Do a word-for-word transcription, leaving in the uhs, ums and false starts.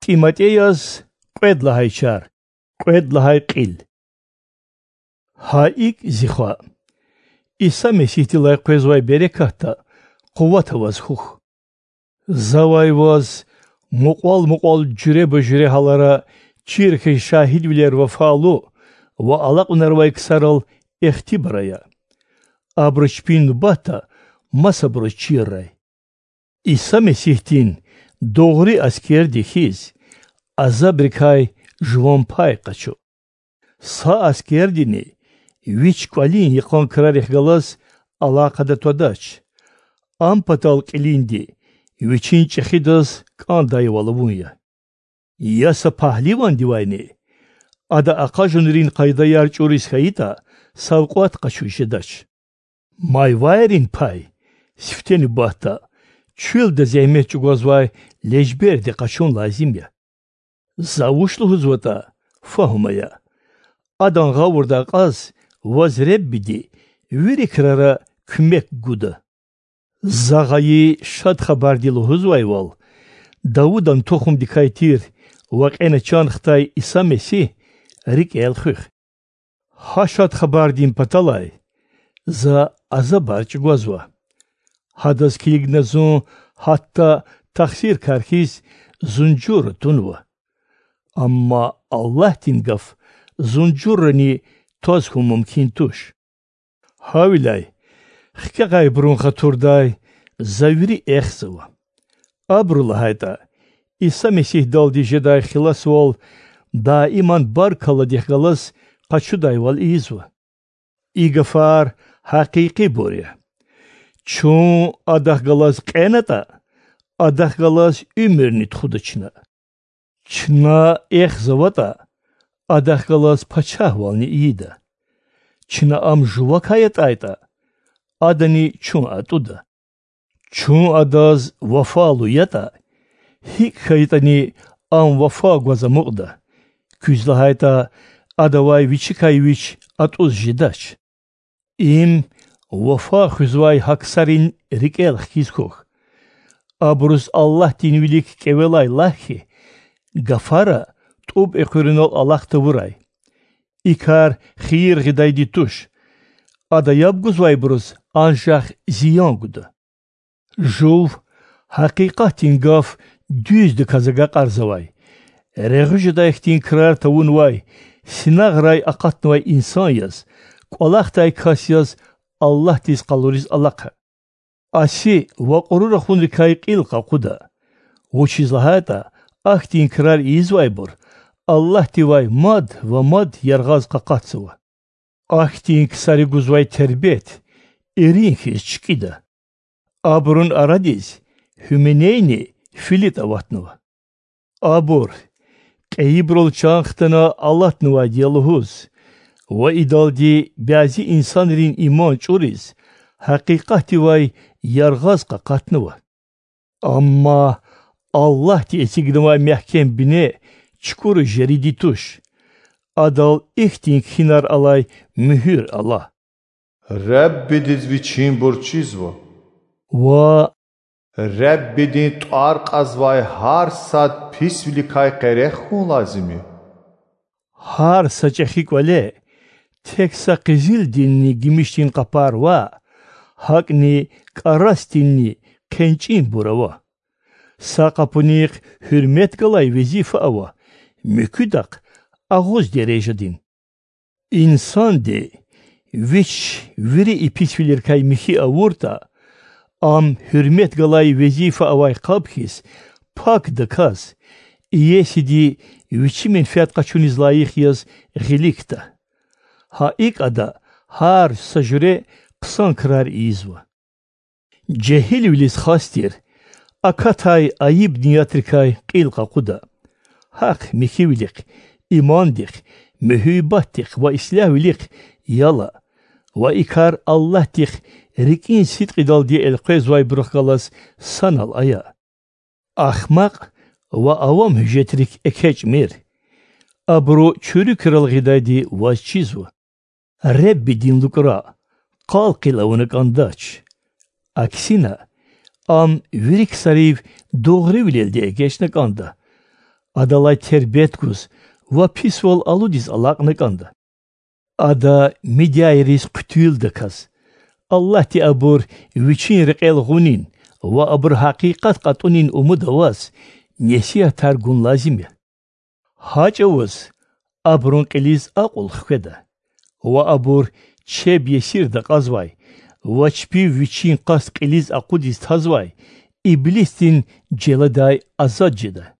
ТӀиматӀей яз, кьвед лагьай чар, кьвед лагьай кьил. Гьа икӀ, зи хва, Иса Месигьдилай къвезвай берекатда, къуватда ваз хьухь. Завай ваз мукьвал-мукьвал жуьреба-жуьре гьалара чир хьиз шагьидвилер вафалу ва алакьунарвай ксарал ихтибар ая. Абуру чпин нубатда масабуруз чиррай. Иса Месигьдин дугъри аскерди хьиз, азабрикай жуван пай къачу. Са аскердини вич кӀвалин йикъан крарихъ галаз алакъада твадач, ам патал кьилинди вичин чӀехидаз кӀандайвал авун я. Я са пагьливандивайни, ада акъажунрин къайдаяр чӀуриз хьайитӀа, савкьват къачуз жедач. Майвайрин пай, сифте нубатда, чуьлда зегьмет чӀугвазвай лежберди къачун лазим я. За вуч лугьузватӀа, фагьум ая. Адан гъавурда акьаз ваз Реббиди вири крара куьмек гуда. За гъайи Шад Хабарди лугьузвайвал, Давудан тухумдикай тир ва кьена чан хтай Иса Месигь рикӀел хуьх. Гьа Шад Хабардин паталай за азабар чӀугвазва. Гьадаз килигна зун гьатта тахсиркар хьиз зунжурра тунва. Амма Аллагьдин гаф зунжуррани тваз хьун мумкин туш. Гьавиляй хкягъайбурун хатурдай за вири эхзава. Абуру лагьайтӀа, Иса Месигьдалди жедай хиласвал даиман баркалладихъ галаз къачудайвал ийизва. И гафар гьакъикъибур я. Чун Адахъ галаз кьенатӀа, Адахъ галаз уьмуьрни тухуда чна. Чна эхзаватӀа, Адахъ галаз пачагьвални ийида. Чна Ам жувакай атӀайтӀа, Адани чун атӀуда. Чун Адаз вафалу ятӀа, гьикӀ хьайитӀани Ам вафа гваз амукьда, куьз лагьайтӀа Адавай Вичикай Вич атӀуз жедач. Им вафа хуьзвай гьа ксарин рикӀел хкиз хьухь. Абуруз Аллагьдин вилик кӀевелай лагь хьи, гафара тӀуб экъуьрунал алахъ тавурай. И кар хийир гъидайди туш. Ада яб гузвайбуруз анжах зиян гуда. Жув гьакъикъатдин гаф дуьздаказ агакьарзавай, регъуь жедай хьтин крар тавунвай, синагърай акъатнавай инсан яз, кӀвалахдай кас яз Аллагьдиз къалуриз алахъа. Аси ва кьуру рахунрикай кьил къакъуда, вучиз лагьайтӀа ахьтин крар ийизвайбур Аллагьдивай мад ва мад яргъаз къакъатзава. Ахьтин ксари гузвай тербет ирин хьиз чкӀида. Абурун арадиз Гьуменейни ФилитӀ аватнава. Абур, кьейибурал чан хтана алатнавайди я лугьуз, ва идалди бязи инсанрин иман чӀуриз, гьакъикъатдивай яргъаз къакъатнава. Амма Аллагьди эцигнавай мягькем бине чукӀура жериди туш, адал ихьтин кхьинар алай муьгьуьр ала: Реббидиз вичинбур чизва. Ва Реббидин тӀвар кьазвай гьар сад писвиликай къерех хьун лазим я. Гьар са чӀехи кӀвале тек са къизилдинни гимишдин къапар ваъ, гьакӀни кӀарасдинни хъенчӀинбур ава. Са къапунихъ гьуьрмет галай везифа ава, муькуьдахъ агъуз дережадин. Инсанди вич вири и писвилерикай михьи авуртӀа, ам гьуьрмет галай везифа авай къаб хьиз пакдаказ, иесиди вичи менфят къачуниз лайих яз гъиликда. Гьа икӀ ада гьар са жуьре хъсан крар ийизва. Жегьилвилиз хас тир акатай айиб ниятрикай кьил къакъуда. Гьахъ михьивилихъ, имандихъ, муьгьуьббатдихъ ва ислягьвилихъ яла, ва и кар Аллагьдихъ рикӀин сидкьидалди элкъвезвайбурухъ галаз санал ая. Ахмакь ва авам гьуьжетрик экечӀмир. Абуру чуьруь крал гъидайди ваз чизва. Реббидин лукӀра къал-къил авуна кӀандач. Аксина, ам вири ксарив дугъривилелди эгечӀна кӀанда. Адалай тербет гуз ва писвал алудиз алакьна кӀанда. Ада мидяйриз хъуьтуьлдаказ, Аллагьди абур Вичин рекьел гъунин ва абуру гьакъикъат кьатӀунин умуд аваз, несигьатар гун лазим я. ГьакӀ аваз абурун кьилиз акьул хкведа, ва абур чеб есирда кьазвай ва чпив вичин къаст кьилиз акъудиз тазвай иблисдин желедай азад жеда.